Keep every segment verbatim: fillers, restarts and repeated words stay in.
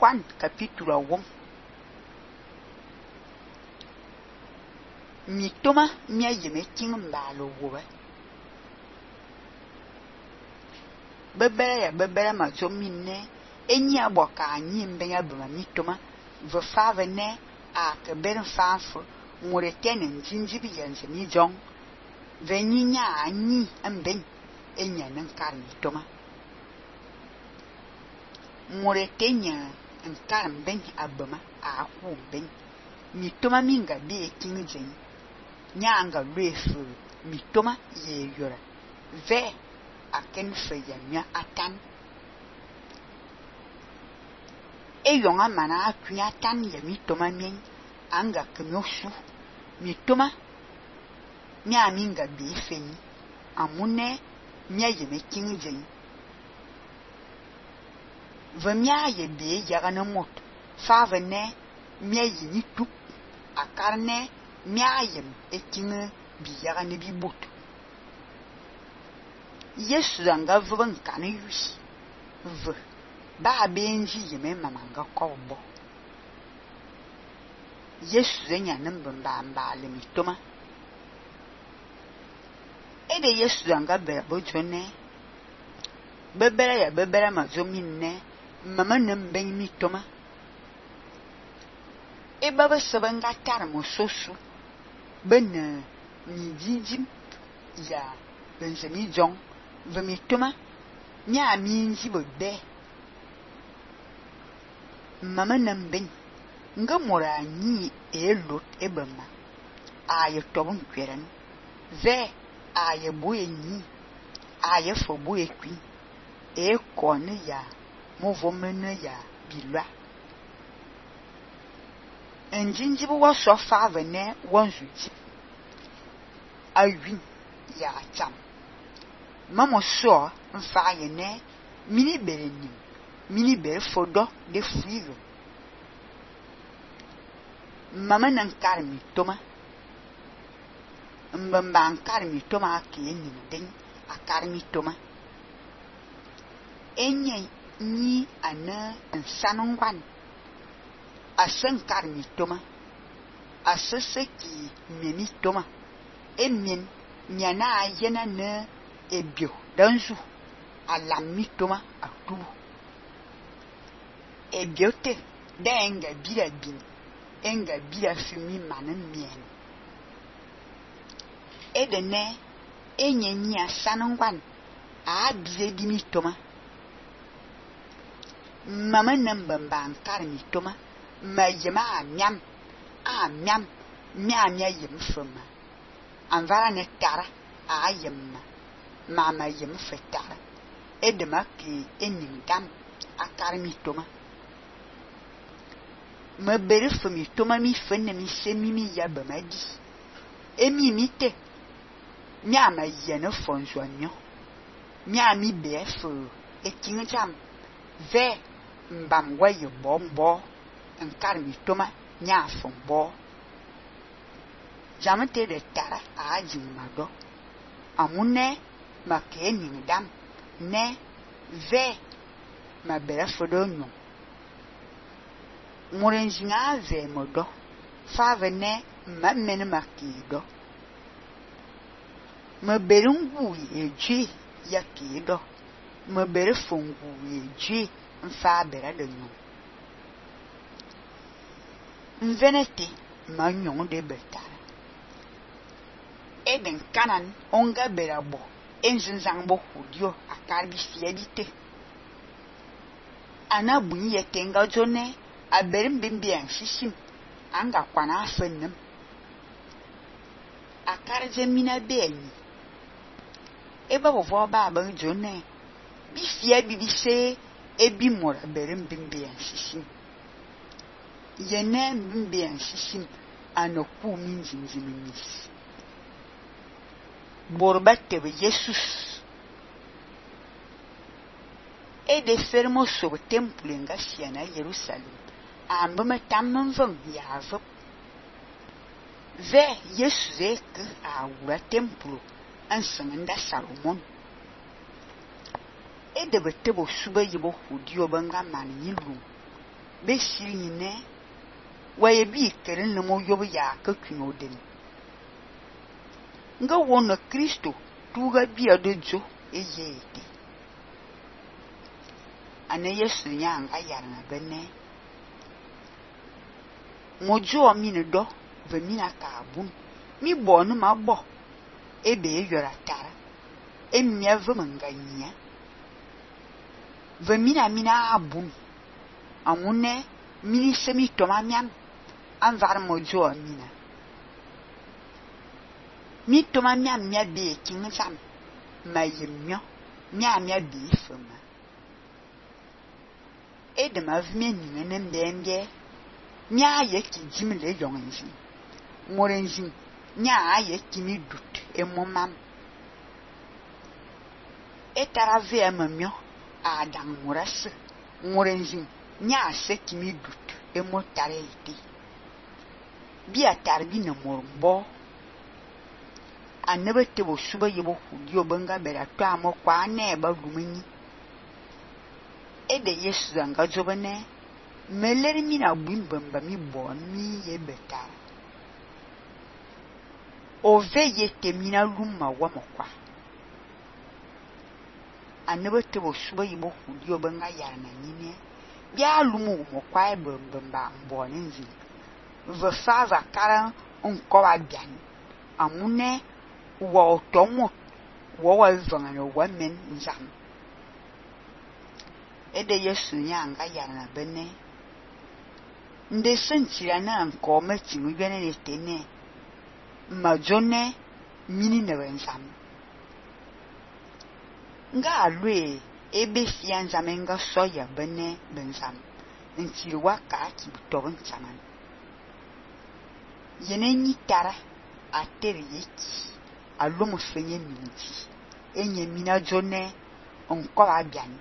Juan capítulo one. Mi toma mi ayeme king mbalo wobe. Bebere ya bebere ma zo minne enyi aboka anyi mbenya bema mi toma ve fave ne a ke beren fanfo ngure tene njinjibi yenze mi jong ve nyinya anyi mben enya nankar mi toma ngure tenya nkar mben abema a ku mben mi toma minga be king jen nyanga refu mi toma ye yora ve aken fe ya atan e yonga mana akunya tan ya mi toma min anga kemyosu mi toma mi aminga be feni amune mi ayeme king jen ve mi aye be yaga na mot fa ve ne mi aye ni tup akarne mi ayem eking bi yaga ne bi bot Yesu anga vuban kan yus v ba benji yeme mamanga kobo Yesu zenya namba mbamba le mi toma ede Yesu anga be bojone bebere ya bebere ma zo minne mama namben mi toma e baba sabanga tar mo sosu ben ni jinjim ya benzemi jong ve mi toma nya minji bo be mama namben nga mora ni elot ebema aye tobun kweren ve aye boye ni aye fo boye kwi e kone ya movomene ya bilwa enjinjibu wa so fa vene wonzu ji awin ya cham mama so mfa ye ne mini berenim mini bere fodo de frigo mama nan karmi toma mbamba an karmi toma ke ni den a karmi toma enye ni ana sanongwan asan karmi toma aseseki memi toma emien nyana yena ne ebio danzu alami toma atubu ebiote denga bira bin enga bira fumi manan mien edene enye nya sanongwan a bize dimi toma mama nambamba ankar mi toma ma yema amyam amyam myamya yem fuma anvara ne tara a yemma mama yem fetara edema ki enin dam akar mi toma ma bere fumi toma mi fenne mi semi mi yabama di emi mite myama yene fonzo nyo myami befo ekin jam ve mbam waye bombo nkar mi toma nya fombo jamete de tara aji mado amune makeni dam ne ve ma bere fodo nyo murenjinga ve modo fa vene mamene makido ma bere ngu eji yakido ma bere fongu eji mfa bere de nyo mvenete ma nyon de betara eden kanan onga berabo enzinzangbo hudio akarbi fiebite ana bunyi yetenga jone aberim bimbian shishim anga kwana afennem akarje mina beni eba bovo ba ba jone bi fiebi bi se ebi mora berim bimbian shishim yene bimbian shishim anoku minjinjiminis borbate be Jesus e de fermo so temple nga siana Jerusalem ambama tamman van yavo ve Jesus ek a ura templo ansanga Salomon e de bete bo suba yibo hudio banga man yilu be sili ne wa ye bi keren le mo yob ya ka kuno den nga wona Kristo tuga bi adojo eyete ana Yesu nyanga yarna bene mojo mi ne do ve mi na ka bun mi bo no ma bo ebe yora tara emia ve manganya ve mi na mi na abun amune mini semi toma miam anvar mojo mina mi toma miam mia be king sam mayemyo mia mia be fama edema vme ni ne mbembe mia ye ki jimle yonzi morenzi nya ye ki mi dut e momam etarave amamyo adang moras morenzi nya se ki mi dut e motare ite bi atarbi na morbo anebe te bo suba yebo hudio banga bera to amo kwa ne ba lumini ede Yesu zanga jobane meleri mi na bumbamba mi bon mi ye betara ove ye temina lumma wa mokwa anebe te bo suba yebo hudio banga yarna nyine bia lumu mokwa e bambamba mboninzi ve fava kara onko wa bian amune wa otomo wa wa vangana wa men nzam ede Yesu nyanga yana bene nde sentira na nko meti mugene netene majone mini na wenzam nga alwe ebe fianza menga soya bene benzam ntiri waka ki butobon chaman yene nyitara ateri yeki alomo fenye minti enye mina jone onko abian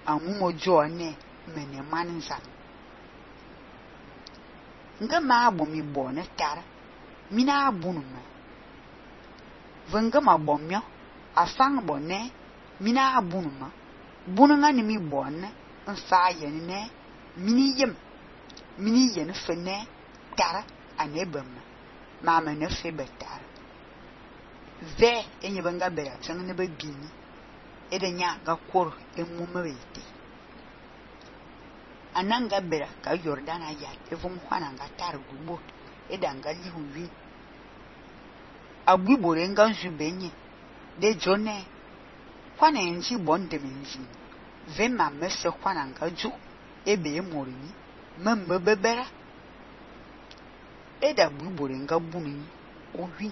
amumo jone mene manzam nga ma abo mi bone tara mina abunuma venga ma bomyo afang bone mina abunuma bununga ni mi bone nfa yene mini yem mini yene fene tara anebama mama ne fe betara ve enye banga bera tsang ne babini edenya ga kor emumawete ananga bera ka Jordan aya evum kwana nga tar gubo edanga lihuwi agbibore nga nzubenye de jone kwana enji bonde menji ve mama se kwana nga ju ebe emorini mambe bebera eda gbibore nga bunni owi